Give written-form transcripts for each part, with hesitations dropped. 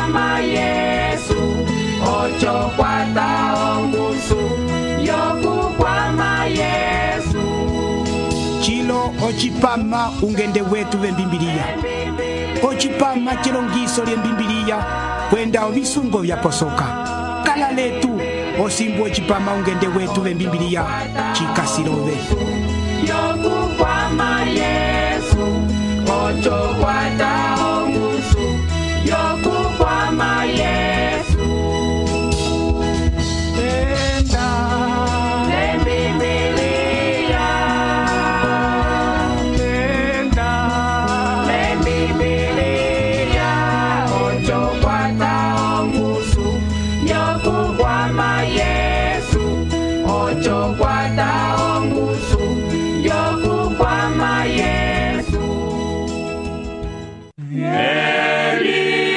kwama Yesu ocho kwata ongusu yokukwama Yesu chilo ochipama ungende wetu vembimbiliya ochipama chilongiso lyembimbiliya kwenda ovisungo vyaposoka kala letu osimbu ochipama ungende wetu vembimbiliya chikasilove yokukwama Yesu ocho kwata ongusu yokukwama Yesu enda lembibiliya enda lembibiliya ocho kwata ongusu yokukwama Yesu ocho kwata ongusu yokukwama Yesu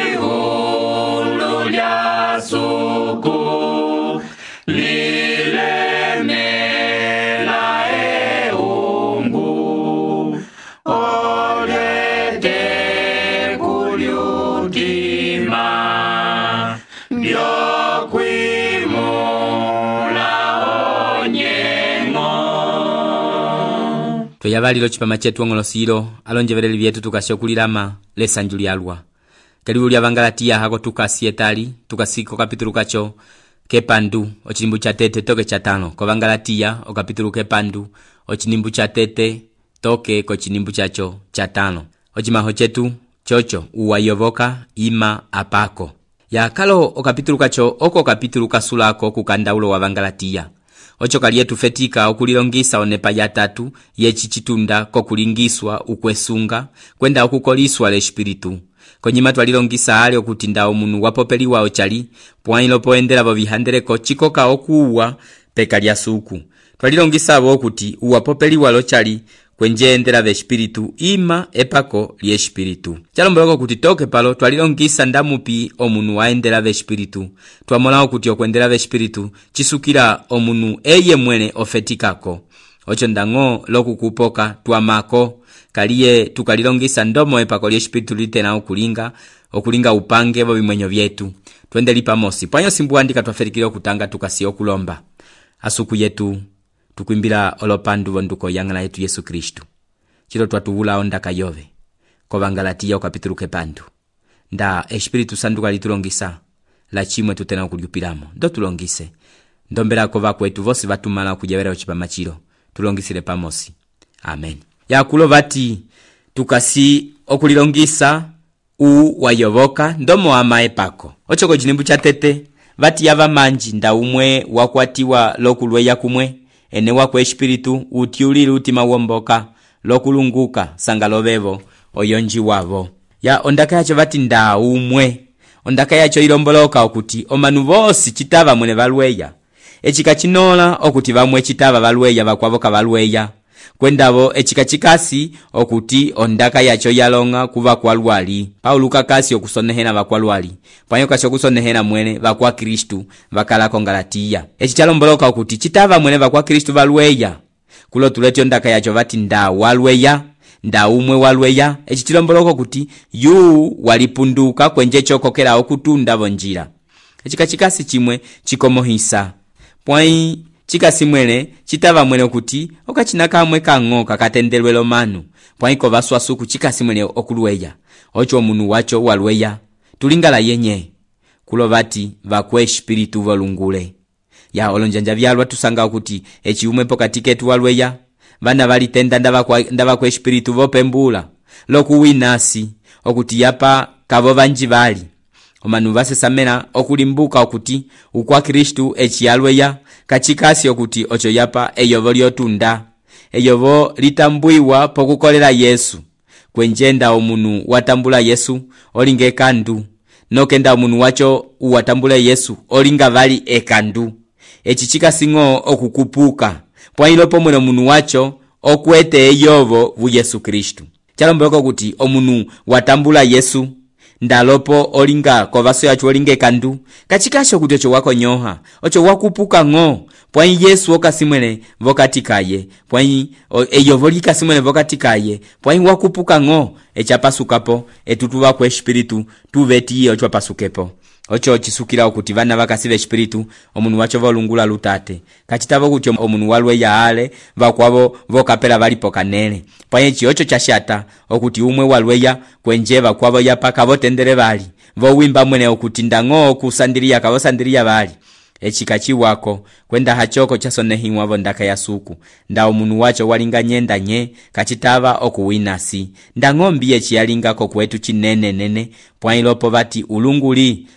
elihulu lya suku lilemela eungu olete kulyutima lyokwimula onyengo tweyabalilo chipama chetu ong'olosilo alonjeveleli vyetu tukasya okulilama lesanju lyalwa kalibu lya Bangalatiya hako tukasi etali tukasiko kapitulu kacho kepandu ochinimbu cha tete toke cha tano ko Bangalatiya okapitulu kepandu ochinimbu cha tete toke ko chinimbu chacho cha tano ochimaho chetu chocho uwayovoka ima apako ya kalo okapitulu kacho oko kapitulu kasulako kukandaulo wa Bangalatiya ocho kalietu fetika okulilongisa onepa ya tatu yechichitunda kokulingiswa ukwesunga kwenda okukoliswa l'espiritu konyima twalilongisa ali okutinda omunu wapopeliwa ochali pwailo poendela vo vihandeleko chikoka okuwa peka lya suku twalilongisa avo okuti uwapopeliwa lochali kwenjendela v'espiritu ima epako ly'espiritu chalomboloko kuti toke palo twalilongisa ndamupi omunu waendela v'espiritu twamola okuti okwendela v'espiritu chisukila omunu eye mwene ofetikako ocho ndang'o lokukupoka twamako kaliye tukalilongisa ndomo epako ly'espiritu litena okulinga upange vo bimwenyo vyetu twendeli pamosi pwanyo simbuandika twafetikile okutanga tukasi okulomba asuku yetu tukwimbila olopandu vonduko yang'ala yetu Yesu Kristu chilo twatuwula ondaka yove ko Bangalatiya okapitulu kepandu nda espiritu sanduka litulongisa la chimwe tutena okulyupilamo ndo tulongise ndombelako vakwetu vosi vatumala okujevera ochipama chilo tulongisile pamosi amen yakulo vati tukasi okulilongisa wayovoka ndomo amae pako ochoko chinimbu cha tete vati yava manji nda umwe wakwatiwa lokulweya kumwe ene wako espiritu utiulile utima womboka lokulunguka sangalovevo oyonji wavo ya ondaka yacho vati nda umwe ondaka yacho ilomboloka okuti omanu vosi chitava mwene valweya echika chinola okuti vamwe chitava valweya vakwavoka valweya kwendavo echika chikasi okuti ondaka yacho yalonga kuva kwa lwali Paulo kakasi okusonehena vakwa lwali panyo kasi okusonehena mwene vakwa Kristu vakala Kongalatiya echi chalomboloka okuti chitava mwene vakwa Kristu valweya kulo tuleti ondaka yacho vati nda walweya nda umwe walweya echi chilomboloka okuti yu walipunduka kwenje chokokela okutunda vonjira echika chikasi chimwe chikomohisa pwai chikasi mwene chitava mwene okuti okachina kamwe kang'o kakatendelwelo manu pwaiko vaswasuku chikasi mwene okulweya ocho omunu wacho walweya tulingala yenye kulo vati vakwe espiritu volungule ya olonjanja vyalwa tusanga okuti echiumwe pokati ketu walweya vana valitenda ndavakwe espiritu vopembula lokuwinasi okuti yapa kavo vanji vali omanu vasesamena okulimbuka okuti ukwa Kristu echiyalweya kachikasi okuti ocho yapa eyovo lyotunda eyovo litambwiwa pokukolela Yesu kwenjenda omunu watambula Yesu olinga ekandu nokenda omunu wacho uwatambule Yesu olinga vali ekandu echi chikasing'o okukupuka pwailo pomwe omunu wacho okwete eyovo vu Yesu Kristu chalomboloko kuti omunu watambula Yesu ndalopo olinga kovaso yacho olinga ekandu kachikasho kuti ocho wakonyoha ocho wakupuka ng'o pwai Yesu okasimwene vokatikaye pwai eyo volikasimwene vokatikaye pwai wakupuka ng'o echapasukapo etutuva kwa espiritu tuvetiye ocho pasukepo ocho chisukira okuti vana vakasiva espiritu omunu wacho volungula lutate kachitavo kuti omunu walwe yaale vakwavo vokapela valipo kanele pwai ocho chashata okuti umwe walweya kwenje vakwavo yapaka votendele vali vowimba mwene okuti ndang'o kusandiriya kavosandiriya vali echikachi wako kwenda hachoko chasonehiwa vondaka ya suku nda omunu wacho walinga nyenda nye kachitava okuwinasi nda ng'ombi echialingako kwetu chinene pwai lopo vati ulunguli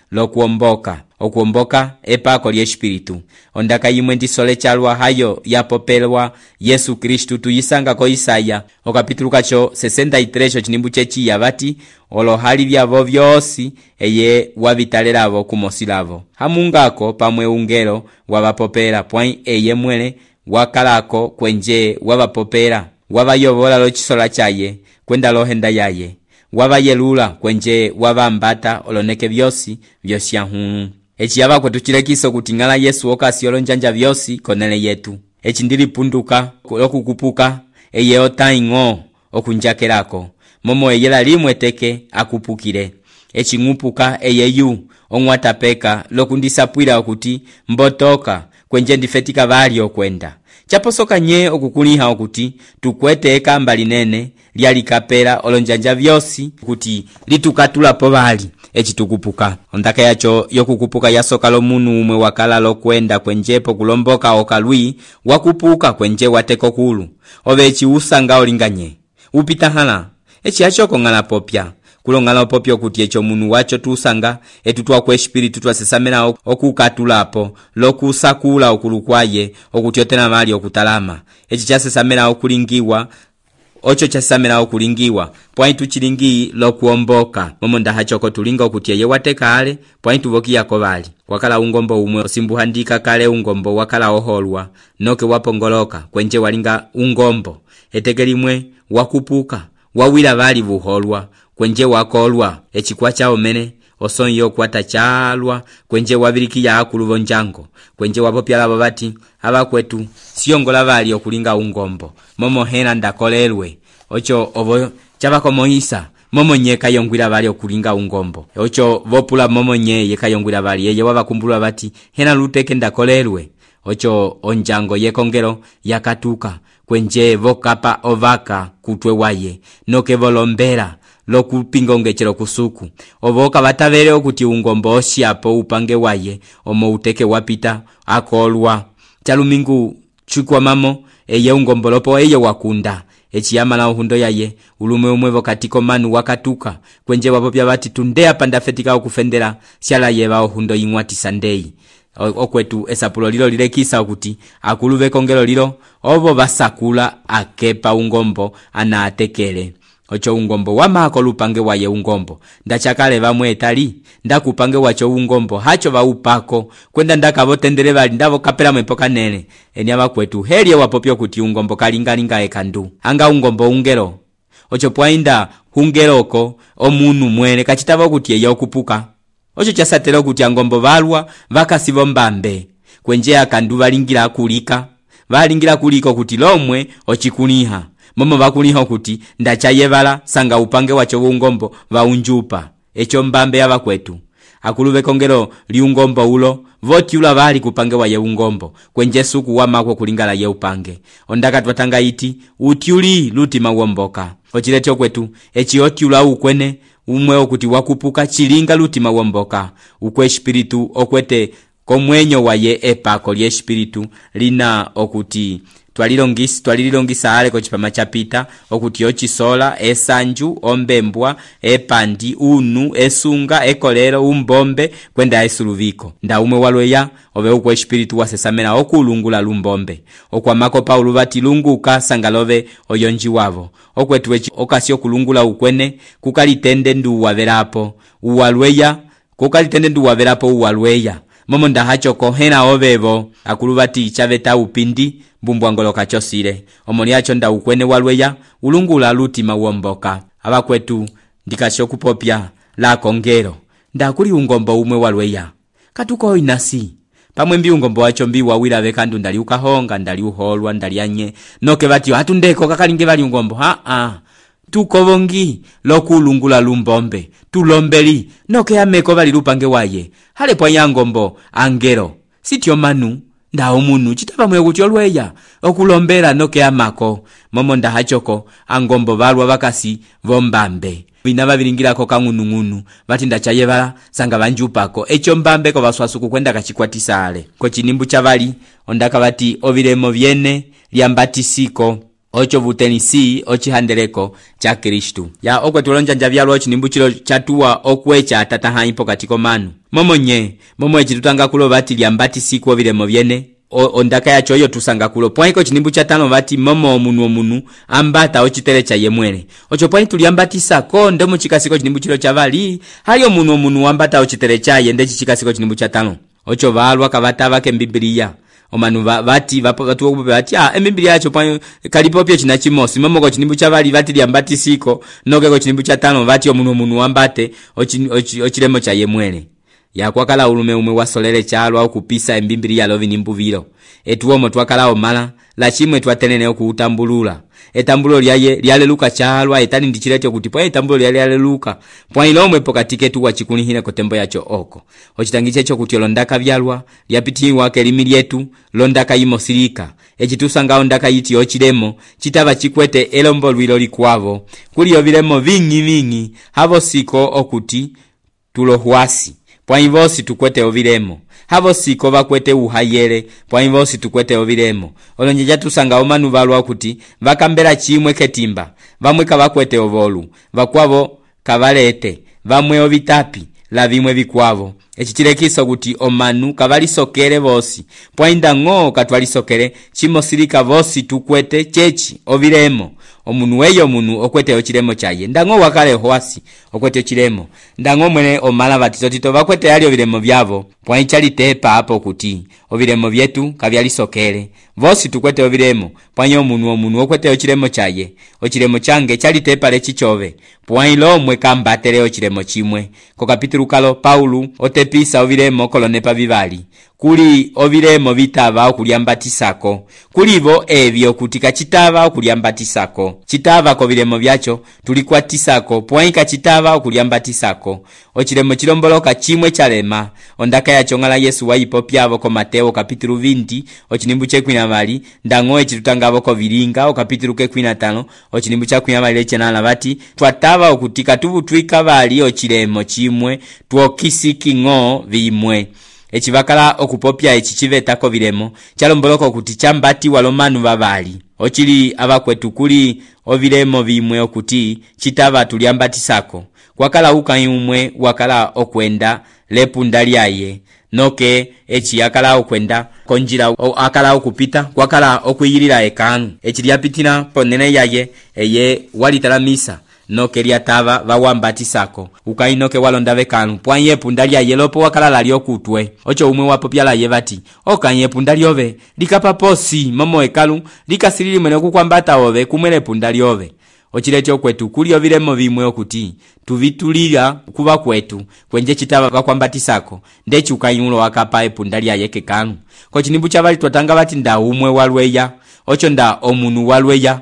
okuomboka epako lye espiritu ondaka yimwe ndisole chalwa hayo yapopelwa Yesu Kristu tuyisanga ko Isaya okapitulu kacho 63 chinimbu chechiya vati olohali vyavo vyosi eye wavitalelavo kumosilavo hamungako pamwe ungelo wavapopela pwai eye mwele wakalako kwenje wavapopela wavayovola lochisola chaye kwenda lohenda yaye wavayelula kwenje wavambata oloneke vyosi vyosyanhunu echiyava kwetu chilekiso kuti ng'ala Yesu okasi olonjanja vyosi konele yetu echi ndilipunduka okukupuka eye otaing'o okunjakelako momo eyela limwe teke akupukile echi ng'upuka eyeyu ong'watapeka lokundisapwila okuti mbotoka kwenje ndifetika vali okwenda chaposoka nye okukuliha okuti tukwete ekamba linene lyalikapela olonjanja vyosi kuti litukatulapo vali echitukupuka ondaka yacho yokukupuka yasoka lomunu umwe wakala lokwenda kwenjepo kulomboka okalwi wakupuka kwenje wateko kulu ove echi usanga olinganye upita hala echi achoko ng'ala popya kulongala popyo kuti echo munu wacho tusanga etutwa kwa espiritu twasesamena okukatulapo lokusakula okulukwaye okutyotena mali okutalama echi chasesamena okulingiwa ocho chasesamena okulingiwa pwai tuchilingi lokuomboka momo ndahachoko tulinga okuti eye watekale pwai tuvokiyako vali wakala ungombo umwe osimbuhandika kale ungombo wakala oholwa noke wapongoloka kwenje walinga ungombo eteke limwe wakupuka wawila vali vuholwa kwenje wakolwa echikwa chao mene osonyo kwata chalwa kwenje wavilikiya akuluvo njango kwenje wapopyalavo vati abakwetu siyongola vali okulinga ungombo momo hena ndakolelwe ocho ovo chavakomoisa momo nye kayongwila vali okulinga ungombo ocho vopula momo nye yekayongwila vali yeye wavakumbulwa vati hena luteke ndakolelwe ocho onjango yekongelo yakatuka kwenje vokapa ovaka kutwe waye noke volombela lokupinga ongechelo kusuku ovoka vatavele okuti ungombo osyapo upange waye omo uteke wapita akolwa chalumingu chukwa mamo eye ungombo lopo eye wakunda echiyama na uhundo yaye ulume umwe vokatiko manu wakatuka kwenje wapopya vati tundea pandafetika okufendela syala yeva uhundo ing'wati sandei okwetu esapulo lilo lilekisa okuti akuluve kongelo lilo ovo basakula akepa ungombo ana atekele ocho ungombo wamako lupange waye ungombo ndachakale vamwe etali ndakupange wacho ungombo hacho vaupako kwenda ndakavotendele vali ndavo kapela mwepoka nele enyava kwetu helye wapopyo kuti ungombo kalingalinga ekandu anga ungombo ungelo ocho pwainda hungeloko omunu mwele kachitava kuti eye okupuka ocho chasatela okuti angombo valwa vakasivo mbambe kwenje akandu valingira kulika kuti lomwe ochikuliha momo vakuliha kuti ndachayevala sanga upange wacho ungombo vaunjupa echo mbambe yava kwetu akuluve kongelo liungombo ulo votiula vali kupange waye ungombo kwenje suku wamako kulingala ye upange ondaka twatanga iti utiuli lutima womboka ochilecho kwetu echi otiula ukwene umwe okuti wakupuka chilinga lutima womboka ukwe espiritu okwete komwenyo waye epako lye espiritu lina okuti twalilongisa ale kochipama chapita okuti ochisola esanju ombembwa epandi unu esunga ekolero umbombe kwenda esuluviko nda umwe walweya ove ukwe espiritu wasesamena okulungula lumbombe okwamako Paulo vati lunguka sangalove oyonji wavo okwetu okasi okulungula ukwene kukalitende ndu waverapo uwalweya kukalitende ndu waverapo uwalweya momo ndahacho kohena ovevo akulu vati chaveta upindi mbumbwangoloka chosile omoni acho nda ukwene walweya ulungula lutima womboka abakwetu ndikasho kupopya la kongero nda kuli ungombo umwe walweya katuko inasi pamwe mbiungombo wacho mbiwawira bekandu ndali ukahonga ndali uholwa ndali anye noke bati hatundeko kakalinge bali ungombo tukovongi lokulungula lumbombe tulombeli noke ameko bali lupange waye hale pwa yangombo angelo sityo manu ndawo munu chitaba mwe kuti olweya okulombera noke amako momo ndahachoko angombo balwa bakasi vombambe bina babiringirako kang'unung'unu bati ndachayebala sanga banjupako echo mbambe ko baswasuku kwenda kachikwatisale ko chinimbu chabali ondaka bati ovilemo vyene lyambatisiko ocho vutenisi ochihandeleko cha Kristu ya okwe tulonjanja byalwa chinimbu chilo chatuwa okwecha tatahaipo katiko manu momo echitutanga kulo bati lyambatisiko ovilemo vyene ondaka yacho yo tusanga kulo pwaiko chinimbu cha tano bati momo omunu ambata ochitere cha yemwele ocho pwai tuliambatisa ko ndemo chikasiko chinimbu chilo chavali hayo omunu ambata ochitere cha yende chikasiko chinimbu cha tano ocho balwa kabata bake Biblia omanu bati batu okupe bati Biblia yacho pwa kalipo pye chinachimosi momo ko chinimbu chavali bati lyambatisiko noke ko chinimbu cha tano bati omunu ambate ochilemo cha yemwele yakwakala ulume umwe wasolele chalwa okupisa Biblia lovi nimbuviro etuomo twakala omala la chimwe twatenene okutambulula etambulo lyale luka chalwa etani ndichilete kuti pwa etambulo lyale luka pwa ilomwe pokatike tuwa chikunihine kotembo yacho oko ochitangiche cho kuti londaka byalwa lyapitiwa kelimi lyetu londaka imosirika echitusanga ondaka yiti ochilemo chitaba chikwete elombo lwilo likwavo kuli ovilemo vingi havo siko okuti tulohwasi pwa invosi tukwete ovilemo havo siko bakwete uhayele pwa invosi tukwete ovilemo olonjeja tusanga omanu balwa okuti bakambela chimwe ketimba bamwe kabakwete ovolu bakwavo kabalete bamwe ovitapi la bimwe bikwavo echichilekiso kuti omanu kabalisokele bosi pwa indango katwalisokele chimosirika bosi tukwete chechi ovilemo omunu weyo munu okwete ochilemo chaye ndango wakale hoasi okwete ochilemo ndango mwene omala batitotito bakwete yali ovilemo byavo pwa ichalitepa hapo kuti ovilemo byetu kabyalisokele bosi tukwete ovilemo pwa omunu okwete ochilemo chaye ochilemo change chalitepa lechichove pwa ilomwe kambatele ochilemo chimwe ko kapitulu kalo Paulo otepisa ovilemo kolonepa bibali kuli ovilemo vitava okulyambatisako kulivo evyo kuti kachitava okulyambatisako chitava ko vilemo byacho tulikwatisako pwaika chitava okulyambatisako ochilemo chilomboloka chimwe chalema ondaka yacho ngala Yesu waipo pyavo ko Mateo kapitulu 20 ochinimbu chekwina mali ndango echitutangavo ko vilinga o kapitulu kekwina 5 ochinimbu chakwina mali lechenana bati twatava okutika tubutwika bali ochilemo chimwe twokisiki ngo vimwe echivakala okupopya echichivetako vilemo chalomboloko kuti chambati walomanu babali ochili abakwetu kuli ovilemo vimwe okuti chitava tulyambatisako kwakala ukayumwe wakala okwenda lepunda lyaye noke echi akala okwenda konjira akala okupita kwakala okuyirira ekanu echi lyapitira ponene yaye eye walitalamisa noke lyatava bawambatisako ukainoke walonda bekanu pwanye punda lyaye lopo wakala lali okutwe ocho umwe wapopya laye bati okanye punda lyove likapaposi momo ekalu likasilili mwene kukwambata ove kumwele punda lyove ochilecho kwetu kuli ovilemo vimwe okuti tuvitulira kuba kwetu kwenje chitava bakwambatisako ndechi ukayulo wakapa epunda lyaye kekanu ko chinimbu chabali twatanga bati nda umwe walweya ocho nda omunu walweya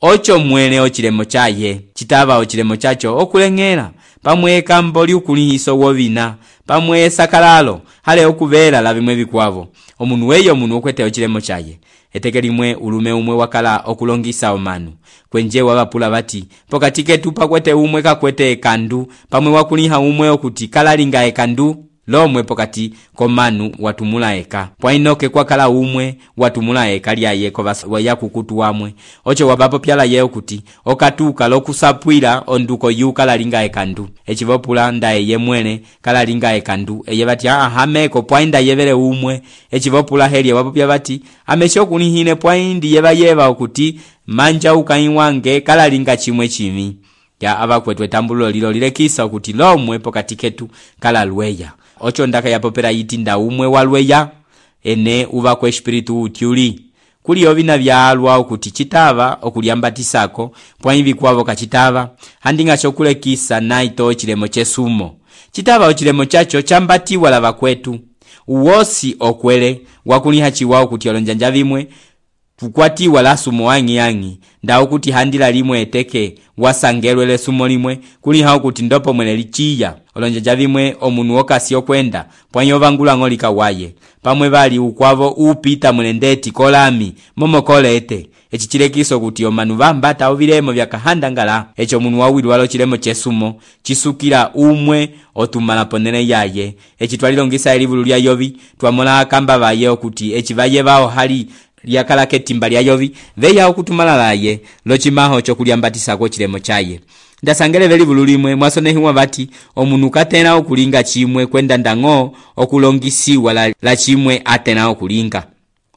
ocho mwene ochilemo chaye chitava ochilemo chacho okulengera pamwe kamboli ukulihiso wovina pamwe sakalalo hale okuvela la bimwe bikwavo omunu weyo munu okwete ochilemo chaye etekelimwe ulume umwe wakala okulongisa omanu kwenje wabapula bati pokatike tupa kwete umwe kakwete ekandu pamwe wakuliha umwe okuti kalalinga ekandu lomwe pokati komanu watumula eka pwainoke kwakala umwe watumula eka lyaye ko waya kukutu wamwe ocho wabapo pyala ye okuti okatuka lokusapwira onduko yuka lalinga ekandu echivopula ndaye yemwene kala linga ekandu eye bati hameko pwainda yevele umwe echivopula heli wapopya bati ameshokunihine pwaindi yeba okuti manja ukaiwange kala linga chimwe chimi ya abakwetwe tambulo lilo lilekisa okuti lomwe pokati ketu kala lweya ocho ndaka yapopera yiti nda umwe walweya ene uva kwa espiritu utyuli kuli ovina vyalwa okuti chitava okulyambatisako pwaimvi kwavo kachitava handinga chokulekisa naito chilemo chesumo chitava ochilemo chacho chambatiwa lava kwetu uwosi okwele wakuliha chiwao kuti olonjanja vimwe tukwatiwa la sumo wangi ndao kuti handila limwe eteke wasangelwe le sumo limwe kuliha kuti ndopo mwene lichiya olonjanja vimwe omunu okasi okwenda pwanyo vangula ngolika waye pamwe vali ukwavo upita mwene ndeti kolami momokolete echichilekiso kuti omanu vambata ovilemo vyakahandangala echo omunu wawili walo chilemo chesumo chisukila umwe otumala ponene yaye echitwalilongisa elivulu lya Yovi twamona akamba vaye okuti echivaye vao hali lyakala ketimba lya Yovi veya okutumala laye lochimaho chokulyambatisa ko chilemo chaye ndasangele velivulu limwe mwasonehiwa vati omunu katena okulinga chimwe kwenda ndango okulongisiwa la chimwe atena okulinga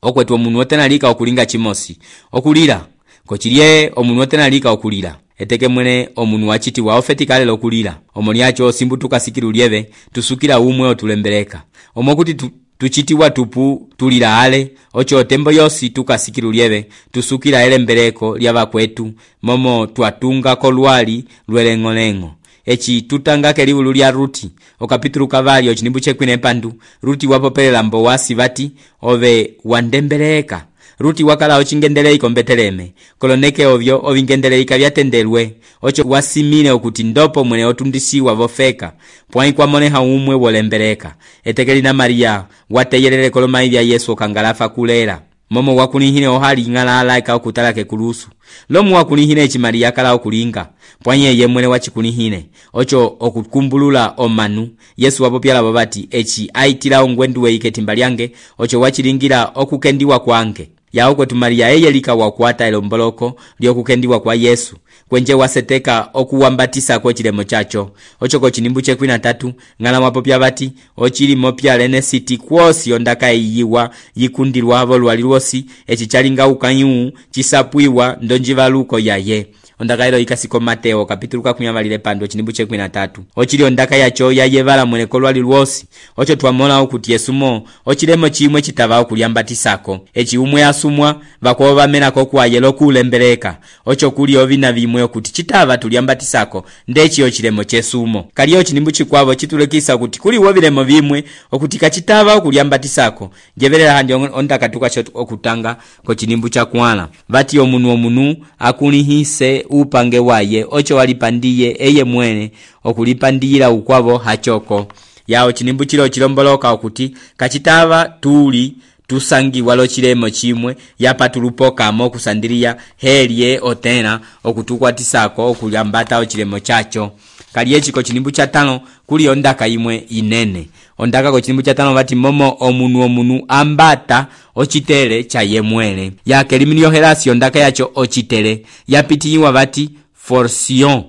okwetu omunu otena lika okulinga chimosi okulira kochilye omunu otena lika okulira eteke mwene omunu wachiti wa ofetikale lokulira omoniacho simbutuka sikiru lyeve tusukira umwe otulembeleka omokuti tuchitiwa tupu tulira ale ocho tembo yosi tukasikiru lyeve tusukira elembeleko lyava kwetu momo twatunga kolwali lwelengolengo echi tutanga kelivulu lya Ruti okapitulu kavali ochinimbu chekwine pandu Ruti wapopelela mbo wasi vati ove wandembeleka Ruti wakala ochingendeleika ombeteleme koloneke ovyo ovingendeleika vyatendelwe ocho wasimile okuti ndopo mwene otundisiwa vofeka pwani kwa moneha umwe wolembeleka etekelina Maria wateyelele kolomai vya Yesu okangalafa kulera momo wakunihine ohali ngala ika okutalake kulusu lomu wakunihine echi Maria kala okulinga pwani ye mwene wachikunihine ocho okukumbulula omanu Yesu wapopyala babati echi aitila ongwenduwe iketimba lyange ocho wachilingira okukendiwa kwange yao kwetu Maria eyelika wakwata elomboloko lyokukendiwa kwa Yesu kwenje waseteka okuwambatisa kwa chilemo chacho ocho kochinimbu chekwina tatu ngala mapopya bati ochili mopya lene siti kwosi ondaka iyiwa yikundirwa avo lwaliwosi echichalinga ukanyu chisapwiwa ndonjivaluko yaye ondaka ilo ikasiko Mateo kapitulu kakunyamalile pando chinimbu chekwina tatu ochili ondaka yacho yayevala mwene kolwali lwosi ocho twamona okuti Yesumo ochilemo chimwe chitava okulyambatisako echi umwe asumwa vakoba vamenako kwayelo kulembeleka ocho kuli ovina vimwe okuti chitava tulyambatisako ndechi ochilemo chesumo kaliyo chinimbu chikwavo chitulekisa okuti kuli wovilemo vimwe okuti kachitava okulyambatisako jevelela handi ondaka tukacho okutanga ko chinimbu chakwala vati omunu akunihise upange waye ocho walipandiye eye mwene okulipandira ukwavo hachoko yao chinimbu chilo chilomboloka okuti kachitava tuli tusangiwa lo chilemo chimwe yapatulupoka mo kusandiria helye otena okutukwatisako okulyambata ochilemo chacho kaliye chiko chinimbu cha tano kuli ondaka imwe inene ondaka ko chinimbu cha tano vati momo omunu ambata ochitele cha yemwele yake liminio helasi ondaka yacho ochitele yapitiwa vati forsion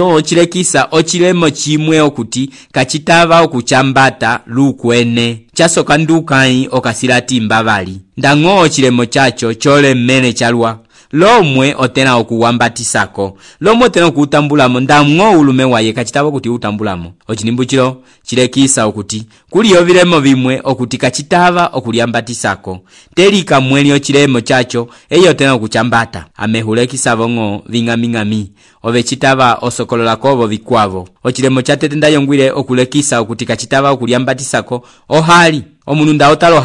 ochilekisa ochilemo chimwe okuti kachitava okuchambata lukwene chasoka ndukai okasilati mbavali ndango ochilemo chacho chole mmene chalwa lomwe otena okuwambatisako lomwe otena okutambulamo ndamwo ulume waye kachitava kuti utambulamo ochinimbu chilo chilekisa okuti kuli yovilemo vimwe okuti kachitava okulyambatisako telika mweli ochilemo chacho eyo otena okuchambata amehulekisa vongo ving'aming'ami ove chitava osokolola kovo vikwavo ochilemo chatetenda yongwile okulekisa okuti kachitava okulyambatisako ohali omunu ndaotalo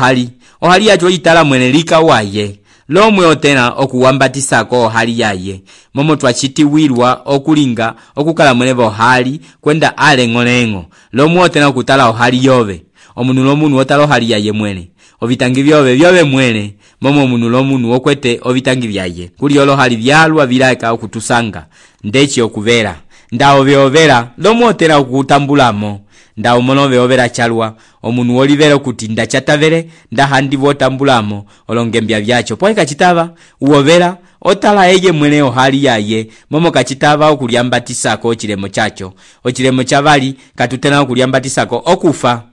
ohali yacho itala mwene lika waye lomwe otena okuwambatisako hali yaye momo twachitiwirwa okulinga okukala mwene vohali kwenda alengolengo lomwe otena okutala ohali yove omunu lomunu otala ohali yaye mwene ovitangi vyove mwene momo omunu lomunu okwete ovitangi vyaye kuli olo hali vyalwa vilaka okutusanga ndechi okuvera ndao vyovera lomwe otena okutambulamo ndao mono vyovera chalwa omunu olivera kuti ndachatavere ndahandi votambulamo olongembya vyacho poi kachitava uovera otala eye mwene ohali yaye momo kachitava okulyambatisako ochilemo chacho ochilemo chavali katutena okulyambatisako okufa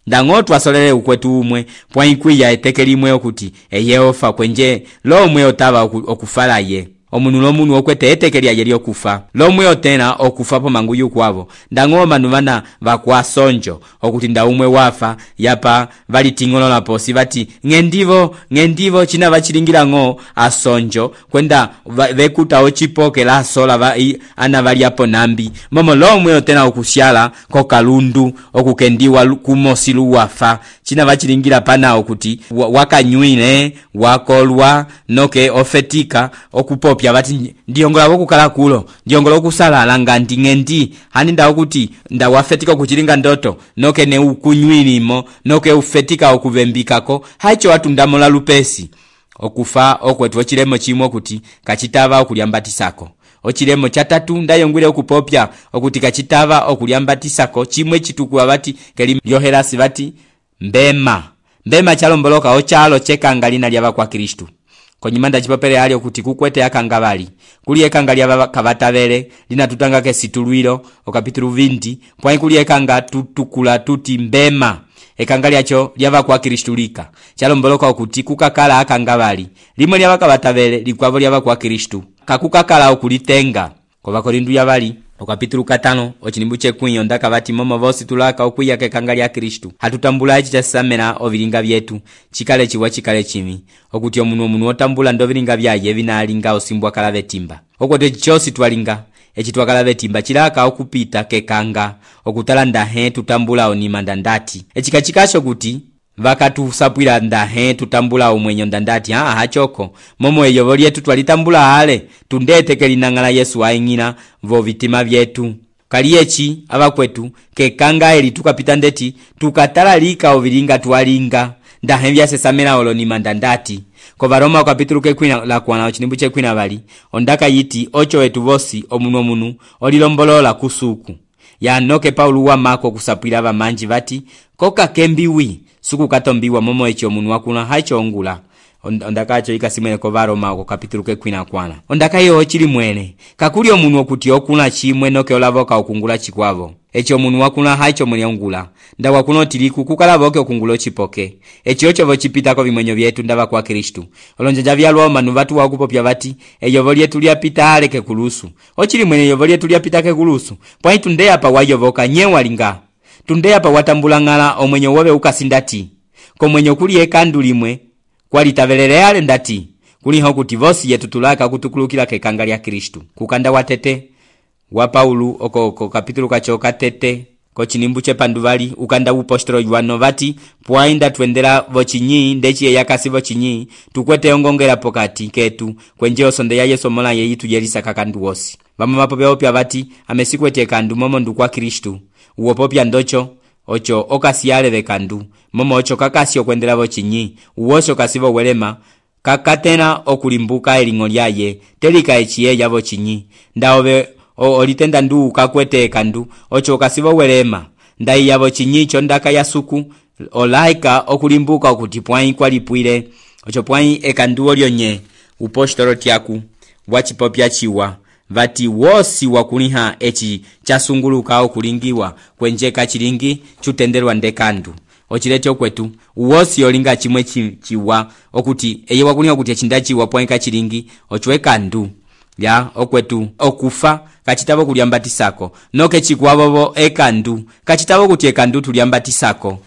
ndango twasolele ukwetu umwe poi kwiya etekelimwe okuti eye ofa kwenje lomwe otava okufalaye omunu lomunu okwete etekelya yeli okufa lomwe otena okufa po manguyu kwavo ndango manu vana vakwasonjo okuti ndaumwe wafa yapa vali tingolola posi vati ngendivo china vachilingira ngo asonjo kwenda vekuta ochipoke la sola ana vali apo nambi momo lomwe otena okusyala ko kalundu okukendiwa kumosilu wafa china vachilingira panawo kuti wakanywile wakolwa noke ofetika okupopya vati ndiyongola wokukala kulo ndiyongola okusalala ngandi ng'endi hani ndawo kuti ndawafetika kuchilinga ndoto noke ne ukunywilimo noke ufetika okuvembikako haicho watundamola lupesi okufa okwetu ochilemo chimwe kuti kachitava okulyambatisako ochilemo chatatu ndayongwile okupopya okuti kachitava okulyambatisako chimwe chitukuwa vati keli lyohelasi vati mbema chalomboloka ochalo chekanga lina lyava kwa Kristu konyimanda chipopele ali okuti kukwete akanga vali kuli ekanga lyava kavatavele lina tutangake situlwilo okapitulu 20 pwai kuli ekanga tutukula tuti mbema ekanga lyacho lyava kwa Kristu lika chalomboloka okuti kukakala akanga vali limwe lyava kavatavele likwavo lyava kwa Kristu kakukakala okulitenga kwa Korindu yavali okapitulu 5 ochilimbu chekwinyo ndaka vati momo vosi tulaka okwiya kekanga lya Kristu hatutambula ichi chasamena ovilinga vyetu chikale chiwa chikale chimi okuti omunu otambula ndovilinga vyaye vinalinga osimbwa kala vetimba okote chosi twalinga echitwakala vetimba chilaka okupita kekanga okutala ndahe tutambula onima ndandati echikachikasho kuti vakatusapwila ndahe tutambula omwenyo ndandati hachoko momo eyovo lyetu twalitambula ale tundete kelinang'ala Yesu aing'ina vo vitima vyetu kaliyechi avakwetu kekanga eli tukapita ndeti tukatala lika ovilinga twalinga ndahe vyasesamela olonima ndandati ko Varoma okapitulu kekwina la kwana ochilimbu chekwina vali ondaka yiti ocho wetu vosi omunu olilombolola kusuku yanoke Paulo wa mako kusapwila vamanji vati koka kembiwi suku katombiwa momo echo omunu wakuna haicho ongula ondakacho ikasimwene ko Varoma okapitulu kekwina kwana ondaka yo chili mwene kakuli omunu okuti okuna chimwe noke olavoka okungula chikwavo echo omunu wakuna haicho muli ongula ndawa kuno tiliku kukalavoke okungulo chipoke echo chovo chipitako vimwenyo vyetu ndava kwa Kristu olonjanja vyalwa manu vatu wakupopya vati eyovo lyetu lyapita ale kekulusu ochili mwene eyovo lyetu lyapita kekulusu pwai tundeya pa wayovoka nyewa linga tundeya pa watambulang'ala omwenyo wobe ukasindati komwenyo kuli ekandu limwe kwalitavelele ale ndati kuliho kuti vosi yetu tulaka kutukulukila kekanga lya Kristu kukanda watete wa Paulo oko kapitulu kacho katete ko chinimbu chepanduvali ukanda upostolo yuano vati pwainda tuendela vochinyi ndechi yakasi vochinyi tukwete ongongela pokati ketu kwenje osonde ya Yesu mola yeyitu yelisa kakandu wosi vama mapopya opya vati amesikwete kandu momo ndu kwa Kristu uopopya ndocho ocho okasiale vekandu momo ocho kakasi okwendela vochinyi uwosho kasivo welema kakatena okulimbuka eling'o lyaye telika echiye yavo chinyi ndaove olitenda ndu kakwete kandu ocho kasivo welema ndai yavo chinyi chondaka yasuku olaika okulimbuka okuti pwai kwalipwile ocho pwai ekandu olyonye upostolo tiaku wachipopya chiwa vati wosi wakuliha echi chasunguluka okulingiwa kwenjeka chilingi chutendelwa ndekandu ochilete okwetu uwosi olinga chimwe chiwa okuti eye wakuliha okuti echindachiwa pwaika chilingi ochwe kandu ya okwetu okufa kachitavo kulyambatisako noke chikwavovo ekandu kachitavo kuti ekandu tulyambatisako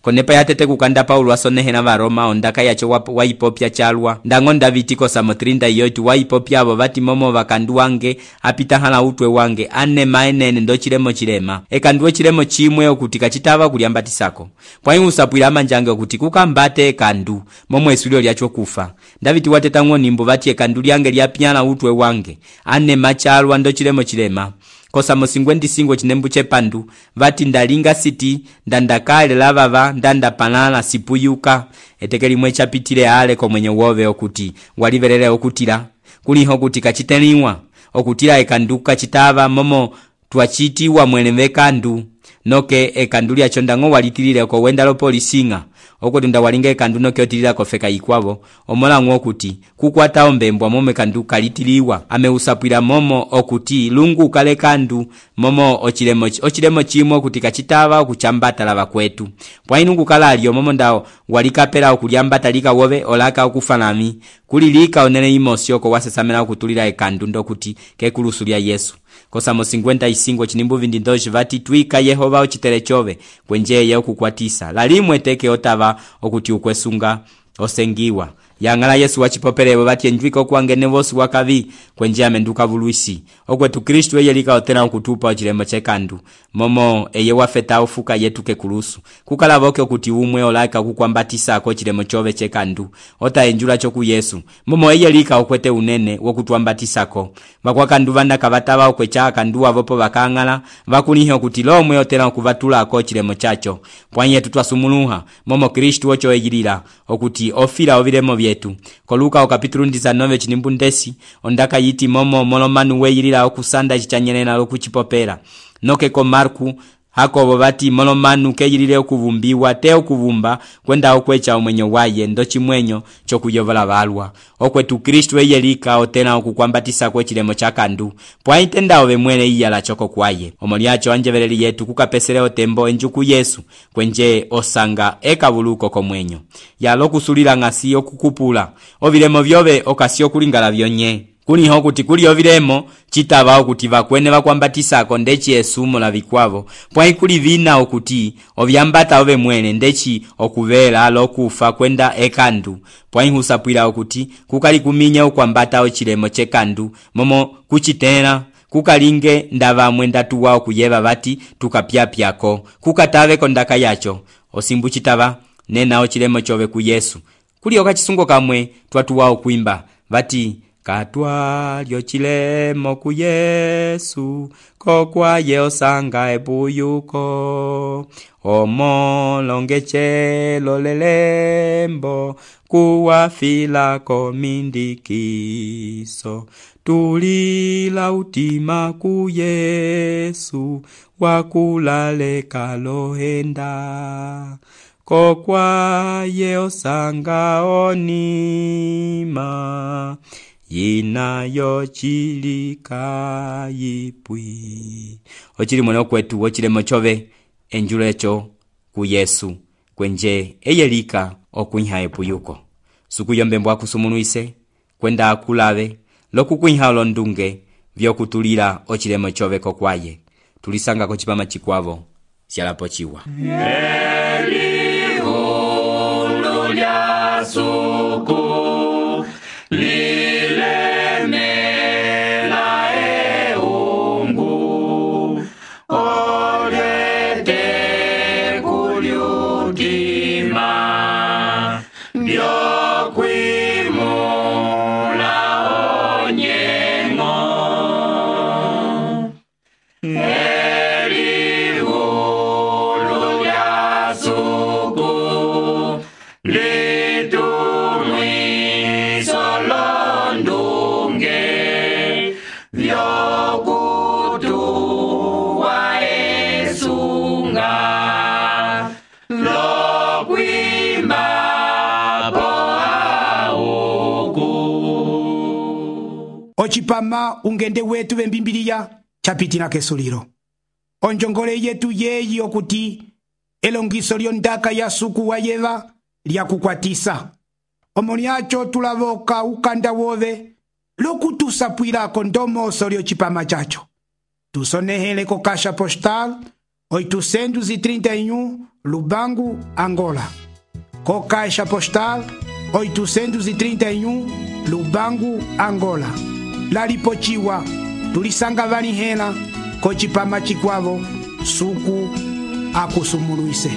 konepa yatete kukanda Paulo asonehena Varoma ondaka yacho waipopya chalwa ndango ndavitiko samotrinda yoitu waipopya abo vati momo vakandu wange apita hala utwe wange ane maenene ndo chilema ekandu chilemo chimwe okuti kachitava kulyambatisako pwai usapwila amanjange okuti kukambate ekandu momo esulio lyacho kufa ndaviti wateta ng'onimbo vati ekandu lyange lyapyana utwe wange ane machalwa ndo chilema kosamo 55 chinembu chepandu vati ndalinga siti ndandakale lavava ndandapanala sipuyuka etekeli mwe chapitile ale komwenye wove okuti walivelele okutila kuliho kuti kachiteliwa okutila ekanduka chitava momo twachitiwa mwene kandu noke ekandu lyacho ndango walitilile ko wenda lopolisinga okuti ndawalinga ekandu noke otilila kofeka ikwavo omolang'o okuti kukwata ombembwa momo ekandu kalitiliwa ameusapwila momo okuti lungu kale kandu momo ochilemo chimwe okuti kachitava okuchambata lava kwetu pwainungu kalalio momo ndao walikapela okulyambata lika wove olaka okufanami kulilika onene imosioko wasesamela okutulila ekandu ndokuti kekulusu lya Yesu kosamo 55 chinimbu vindi ndoji vati twika Yehova ochitele chove kwenjeye okukwatisa lalimwe teke otava okuti ukwesunga osengiwa yang'ala Yesu wachipopelewo vati enjwika okuwangene vosi wakavi kwenje amenduka vuluisi okwetu Kristu eye lika otena okutupa ochilemo chekandu momo eye wafeta ufuka yetu kekulusu kukalavoke okuti umwe olaika kukwambatisako chilemo chove chekandu otaenjula choku Yesu momo eye lika okwete unene wokutwambatisako vakwakandu vandaka vatava okwecha akandu avopo vakang'ala vakunihe okuti lomwe otela okuvatulako chilemo chacho pwanyetu twasumuluha momo Kristu ocho eyilila okuti ofila ovilemo vyetu koluka okapitulu 19 chinimbu ndesi ondaka yiti momo molomanu weyilila okusanda chichanyelela lokuchipopela nokeko Marku Hakobo vati molomanu keyilile okuvumbiwa te okuvumba kwenda okwecha omwenyo waye ndo chimwenyo chokuyovola valwa okwetu Kristu eyelika otena okukwambatisa kwe chilemo chakandu pwaitenda ove mwene iyala choko kwaye omoliacho anjeveleli yetu kukapesele otembo enjuku Yesu kwenje osanga ekavuluko komwenyo yalo kusulila ngasi okukupula ovilemo vyove okasi okulingala vyonye kuniho okuti kuli ovilemo chitava okuti vakwene vakwambatisako ndechi esumo la vikwavo pwai kuli vina okuti ovyambata ove mwene ndechi okuvela alokufa kwenda ekandu pwai husapwila okuti kukali kuminya ukwambata ochilemo chekandu momo kuchitela kukalinge ndava mwendatu wao kuyeva vati tukapyapyako kukatave kondaka yacho osimbu chitava nena ochilemo chove ku Yesu kuli okachisungo kamwe twatu wao kuimba vati katwalyo chilemo ku Yesu kokwaye osanga ebuyuko omolongechelo lelembo kuwafila komindikiso tulila utima ku Yesu wakulaleka lohenda kokwaye osanga onima yinayo chilika yipwi ochili mwana kwetu ochilemo chove enjulo echo ku Yesu kwenje eyelika okuinha epuyuko sukuyombembwa kusumunuise kwenda akulave lokukuinha olondunge vyokutulila ochilemo chove kokwaye tulisanga kochipama chikwavo syalapo chiwa Elihu lya suku lilemela eungu olete kulyutima byokwimula onyengo Elihu lya suku litumwiso londunge vyokutuwa esunga lokwimba poauku ochipama ungende wetu vembimbiliya chapitina kesulilo onjongole yetu yeyi okuti elongiso lyondaka ya suku wa yeva lyakukwatisa omoniacho tulavoka ukanda wove lokutusapwilako ndomoso lyochipama chacho tusonehele ko Caixa Postal 831 Lubangu, Angola. Co Caixa Postal 831 Lubangu, Angola. Lalipochiwa tulisanga vanihela ko chipama chikwavo suku akusumuluise.